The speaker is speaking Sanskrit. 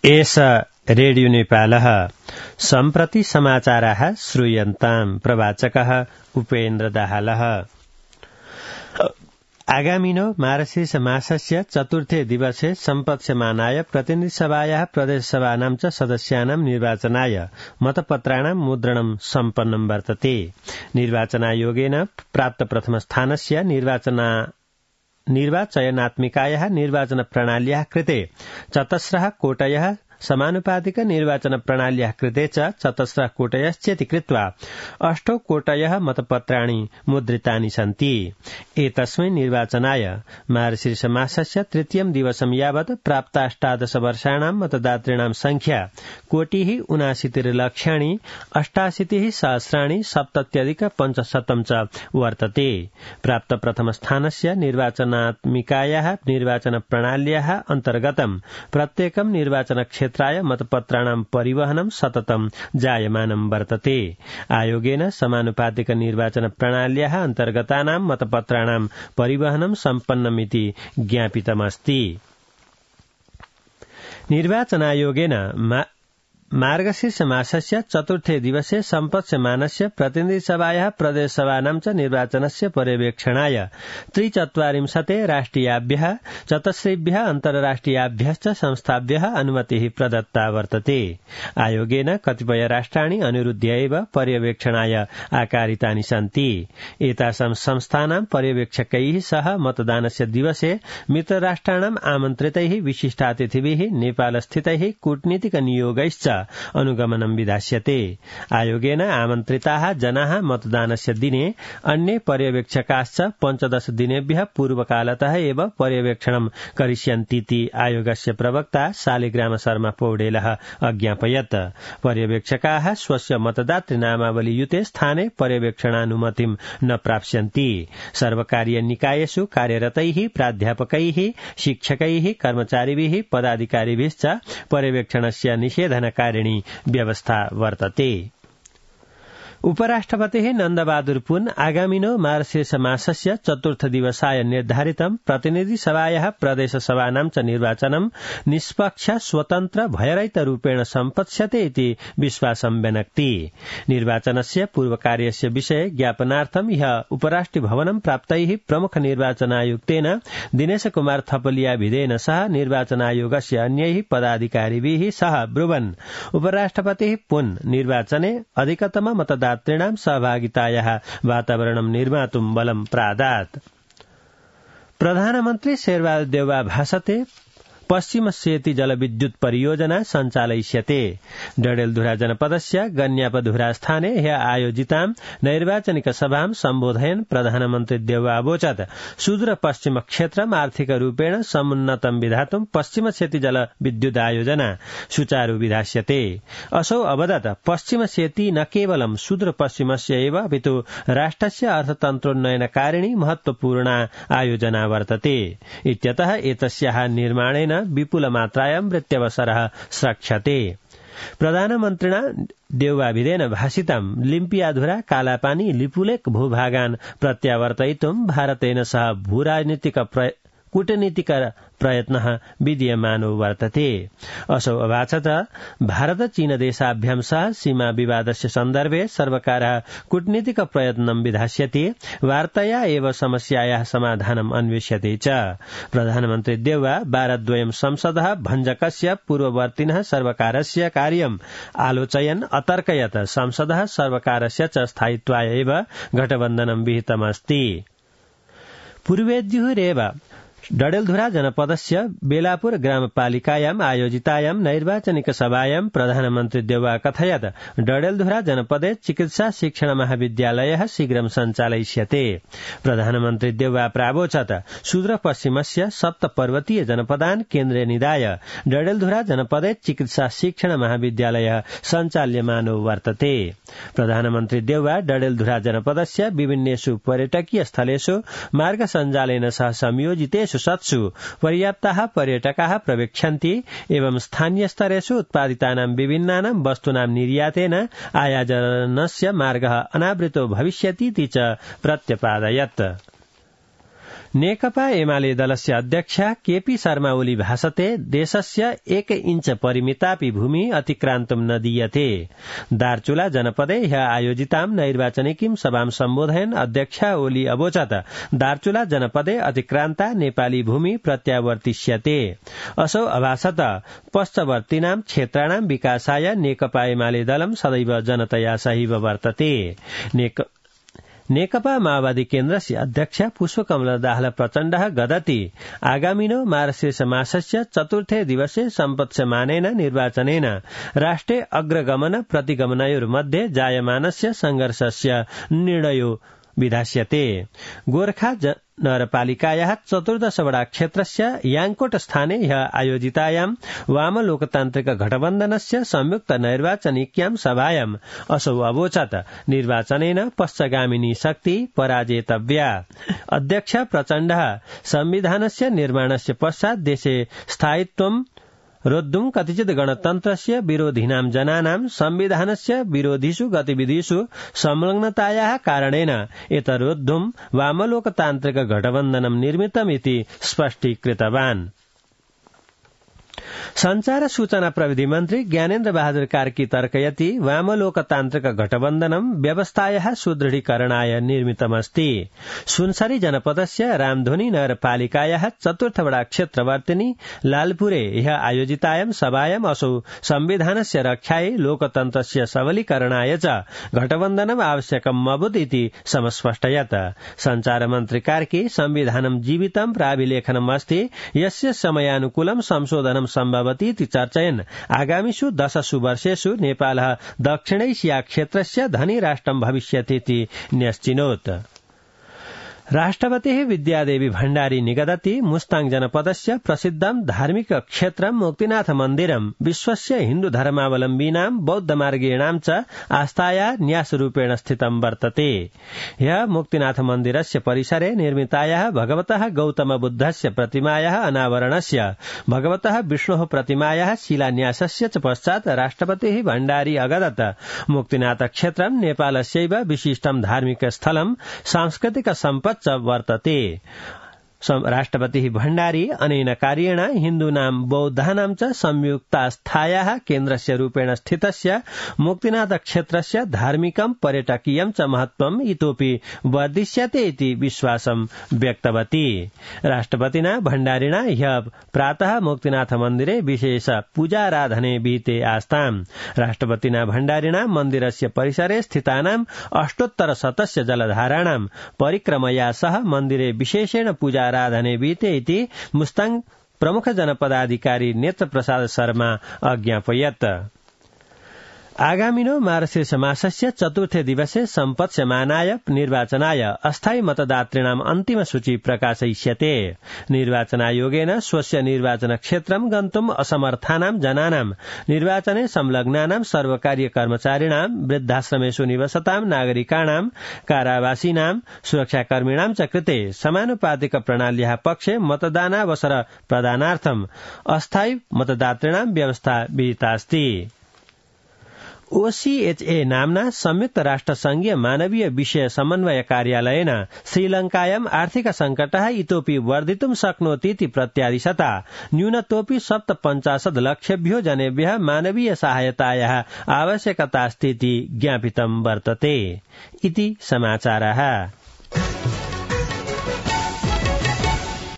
एष रेडियो नेपालः सम्प्रति समाचाराः श्रूयन्ताम्। प्रवाचकः उपेन्द्र दाहालः। आगामिनो मार्गशीर्ष मासस्य चतुर्थे दिवसे सम्पत्स्यमानाय प्रतिनिधिसभायाः प्रदेशसभानां च सदस्यानां निर्वाचनाय मतपत्राणां मुद्रणं सम्पन्नं वर्तते। निर्वाचनायोगेन प्राप्त प्रथमस्थानस्य निर्वाचनात्मिकायाः निर्वाचन प्रणाल्याः कृते चतस्रः कोटयः समानुपातिक निर्वाचन प्रणाल्याः कृते च चतस्रः कोटयश्चेति कृत्वा 8 कोटयः मतपत्राणि मुद्रितानि सन्ति। एतस्मै निर्वाचनाय मार्गशीर्ष मासस्य तृतीयं दिवसं यावत् प्राप्ताष्टादश वर्षाणां मतदातॄणां संख्या 1,69,88,सहस्राणि 77,500 च वर्तते। प्राप्त प्रथमस्थानस्य निर्वाचनात्मिकायाः निर्वाचन प्रणाल्याः अन्तर्गतं प्रत्येकं निर्वाचन क्षेत्राय मतपत्राणां परिवहनं सततं जायमानं वर्तते। आयोगेन समानुपातिक निर्वाचन प्रणाल्याः अन्तर्गतानां मतपत्राणां परिवहनं सम्पन्नमिति ज्ञापितमस्ति। निर्वाचनायोगेन मार्गशीर्ष मासस्य चतुर्थे दिवसे सम्पत्स्यमानस्य प्रतिनिधिसभायाः प्रदेशसभानां च निर्वाचनस्य पर्यवेक्षणाय 43 राष्ट्रियाभ्यः 4 अन्तर्राष्ट्रियाभ्यश्च संस्थाभ्यः अनुमतिः प्रदत्ता वर्तते। आयोगेन कतिपय राष्ट्राणि अनुरुध्य एव पर्यवेक्षणाय आकारितानि सन्ति। एतासां संस्थानां पर्यवेक्षकैः सह मतदानस्य दिवसे मित्रराष्ट्राणाम् आमन्त्रितैः विशिष्टातिथिभिः नेपालस्थितैः कूटनीतिक नियोगैश्च अनुगमनं विधास्यते। आयोगेन आमन्त्रिताः जनाः मतदानस्य दिने अन्ये पर्यवेक्षकाश्च 15 दिनेभ्यः पूर्वकालतः एव पर्यवेक्षणं करिष्यन्तीति आयोगस्य प्रवक्ता शालिग्राम शर्मा पौडेलः अज्ञापयत्। पर्यवेक्षकाः स्वस्य मतदातृनामावलीयुते स्थाने पर्यवेक्षणानुमतिं न प्राप्स्यन्ति। सर्वकारीय निकायेषु कार्यरतैः प्राध्यापकैः शिक्षकैः कर्मचारिभिः पदाधिकारिभिश्च पर्यवेक्षणस्य निषेधनकारिणी व्यवस्था वर्तते। उपराष्ट्रपतिः नन्दबहादुर पुन आगामिनो मार्गशीर्ष मासस्य चतुर्थ दिवसाय निर्धारितं प्रतिनिधिसभायाः प्रदेशसभानां च निर्वाचनं निष्पक्ष स्वतन्त्र भयरहितरूपेण सम्पत्स्यते इति विश्वासं व्यनक्ति। निर्वाचनस्य पूर्वकार्यस्य विषये ज्ञापनार्थं ह्यः उपराष्ट्रभवनं प्राप्तैः प्रमुख निर्वाचनायुक्तेन दिनेश कुमार थपलियाभिधेन सह निर्वाचनायोगस्य अन्यैः पदाधिकारिभिः सह ब्रुवन् उपराष्ट्रपतिः पुन निर्वाचने अधिकतम मतदातॄणां सहभागितायाः वातावरणं निर्मातुं बलं प्रादात्। प्रधानमन्त्री शेरबहादुर देउवा भाषते पश्चिम सेती जलविद्युत परियोजना सञ्चालयिष्यते। डडेलधुरा जनपदस्य गन्यापधुरा स्थाने ह्यः आयोजितां नैर्वाचनिक सभां सम्बोधयन् प्रधानमन्त्री देउवा अवोचत् सुदूर पश्चिम क्षेत्रम् आर्थिक रूपेण समुन्नतं विधातुं पश्चिम सेती जलविद्युत आयोजना सुचारू विधास्यते। असौ अवदत् पश्चिम सेती न केवलं सुदूर पश्चिमस्य एव अपितु राष्ट्रस्य अर्थतन्त्रोन्नयनकारिणी महत्वपूर्णा आयोजना वर्तते। इत्यतः एतस्याः निर्माणेन विपुलमात्रायां वृत्त्यवसरः स्रक्ष्यते। प्रधानमन्त्रिणा देउवाभिधेन भाषितं लिम्पियाधुरा कालापानी लिपुलेक भूभागान् प्रत्यावर्तयितुं भारतेन सह भूराजनीतिक कूटनीतिक प्रयत्नः विद्यमानो वर्तते। असौ अभाषत भारत चीन देशाभ्यां सह सीमा विवादस्य सन्दर्भे सर्वकारः कूटनीतिक प्रयत्नं विधास्यति। वार्तया एव समस्यायाः समाधानम् अन्वेष्यते च। प्रधानमन्त्री देउवा वारद्वयं संसदः भञ्जकस्य पूर्ववर्तिनः सर्वकारस्य कार्यम् आलोचयन् अतर्कयत् संसदः सर्वकारस्य च स्थायित्वाय एव गठबन्धनं विहितमस्ति। पूर्वेद्युरेव डडेलधुरा जनपदस्य बेलापुर ग्रामपालिकायाम् आयोजितायां नैर्वाचनिक सभायां प्रधानमन्त्री देउवा कथयत् डडेलधुरा जनपदे चिकित्सा शिक्षण महाविद्यालयः शीघ्रं सञ्चालयिष्यते। प्रधानमन्त्री देउवा प्रावोचत् सुदूर पश्चिमस्य सप्तपर्वतीय जनपदान् केन्द्रे निधाय डडेलधुरा जनपदे चिकित्सा शिक्षण महाविद्यालयः सञ्चाल्यमानो वर्तते। प्रधानमन्त्री देउवा डडेलधुरा जनपदस्य विभिन्नेषु पर्यटकीय स्थलेषु मार्ग सञ्जालेन सह संयोजितेषु सत्सु पर्याप्ताः पर्यटकाः प्रवेक्षन्ति एवं स्थानीय स्तरेषु उत्पादितानां विभिन्नानां वस्तूनां निर्यातेन आयाजनस्य मार्गः अनावृतो भविष्यतीति च प्रत्यपादयत्। नेकपा एमाले दलस्य अध्यक्ष केपी शर्मा ओली भाषते देशस्य 1 इंच परिमितापि भूमि अतिक्रान्तुं न दीयते। दार्चुला जनपदे ह्य आयोजितां नैर्वाचनिकीं सभां सम्बोधयन् अध्यक्ष ओली अवोचत् दार्चुला जनपदे अतिक्रान्ता नेपाली भूमि प्रत्यावर्तिष्यते। असौ अभाषत पश्चवर्तीनां क्षेत्राणां विकासाय नेकपा एमाले दलं सदैव जनतया सहीव वर्तते। नेकपा माओवादी केन्द्रस्य अध्यक्ष पुष्पकमल दाहाल प्रचण्डः गदति आगामिनो मार्गशीर्ष मासस्य 4थे दिवसे सम्पत्स्यमानेन निर्वाचनेन राष्ट्रे अग्रगमन प्रतिगमनयोर्मध्ये जायमानस्य संघर्षस्य निर्णयो विधास्यते। गोर्खा नगरपालिकायाः 14 वडा क्षेत्रस्य याङ्कोट स्थाने ह्य आयोजितायां वामलोकतान्त्रिक गठबन्धनस्य संयुक्त नैर्वाचनिक्यां सभायाम् असौ अवोचत् निर्वाचनेन पश्चगामिनी शक्ति पराजेतव्या। अध्यक्ष प्रचण्डः संविधानस्य निर्माणस्य पश्चात् देशे स्थायित्वं रोद्धुं कतिचित् गणतन्त्रस्य विरोधिनां जनानां संविधानस्य विरोधिषु गतिविधिषु संलग्नतायाः कारणेन एतरोद्धुं वामलोकतान्त्रिक गठबन्धनं निर्मितमिति स्पष्टीकृतवान्। संचार सूचना प्रविधि मन्त्री ज्ञानेन्द्र बहादुर कार्की तर्कयति वामलोकतान्त्रिक गठबन्धनं व्यवस्थायाः सुदृढीकरणाय निर्मितमस्ति। सुनसरी जनपदस्य रामधुनी नगरपालिकायाः 4th वडा क्षेत्रवर्तिनी लालपुरे ह्य आयोजितायां सभायाम् असौ संविधानस्य रक्षायै लोकतन्त्रस्य सबलीकरणाय च गठबन्धनम् आवश्यकम् अभूत् इति समस्पष्टयत्। संचार मन्त्री कार्की संविधानं जीवितं प्राभिलेखनम् अस्ति यस्य समयानुकूलं संशोधनं सम्भवति इति चर्चयन् आगामिषु 10 वर्षेषु नेपालः दक्षिणैशिया क्षेत्रस्य धनी राष्ट्रं भविष्यतीति न्यश्चिनोत्। राष्ट्रपतिः विद्यादेवी भण्डारी निगदति मुस्ताङ जनपदस्य प्रसिद्धं धार्मिक क्षेत्रं मुक्तिनाथ मन्दिरं विश्वस्य हिन्दू धर्मावलम्बीनां बौद्धमार्गीणां च आस्थाया न्यासरूपेण स्थितं वर्तते। ह्यः मुक्तिनाथ मन्दिरस्य परिसरे निर्मितायाः भगवतः गौतम बुद्धस्य प्रतिमायाः अनावरणस्य भगवतः विष्णोः प्रतिमायाः शिलान्यासस्य च पश्चात् राष्ट्रपतिः भण्डारी अगदत् मुक्तिनाथ क्षेत्रं नेपालस्यैव विशिष्टं धार्मिक स्थलं सांस्कृतिक सम्पत् वर्तते। राष्ट्रपतिः भण्डारी अनेन कार्येण हिन्दूनां बौद्धानां च संयुक्तास्थायाः केन्द्रस्य रूपेण स्थितस्य मुक्तिनाथ क्षेत्रस्य धार्मिकं पर्यटकीयं च महत्त्वम् इतोपि वर्धिष्यते इति विश्वासं व्यक्तवती। राष्ट्रपतिना भण्डारिणा ह्यः प्रातः मुक्तिनाथ मन्दिरे विशेष पूजाराधने विहिते आस्ताम्। राष्ट्रपतिना भण्डारिणा मन्दिरस्य परिसरे स्थितानां 800 जलधाराणां परिक्रमया सह मन्दिरे विशेषेण पूजा आराधने विहिते इति मुस्ताङ प्रमुख जनपदाधिकारी नेत्र प्रसाद शर्मा अज्ञापयत्। आगामिनो मार्गशीर्ष मासस्य 4थे दिवसे सम्पत्स्यमानाय निर्वाचनाय अस्थायी मतदातॄणाम् अन्तिम सूची प्रकाशयिष्यते। निर्वाचनायोगेन स्वस्य निर्वाचन क्षेत्रं गन्तुम् असमर्थानां जनानां निर्वाचने संलग्नानां सर्वकारीय कर्मचारिणां वृद्धाश्रमेषु निवसतां नागरिकाणां कारावासीनां सुरक्षाकर्मिणां च कृते समानुपातिक प्रणाल्याः पक्षे मतदानावसर प्रदानार्थम् अस्थायी मतदातॄणां व्यवस्था विहितास्ति। OCHA नाम्ना संयुक्त राष्ट्र संघीय मानवीय विषय समन्वय कार्यालयेन श्रीलंकायाम् आर्थिक संकटः इतोपि वर्धितुं शक्नोति इति प्रत्यादिशता न्यूनतोऽपि 57 लक्षेभ्यो जनेभ्यः मानवीय सहायतायाः आवश्यकतास्ति इति ज्ञापितं वर्तते। इति समाचारः।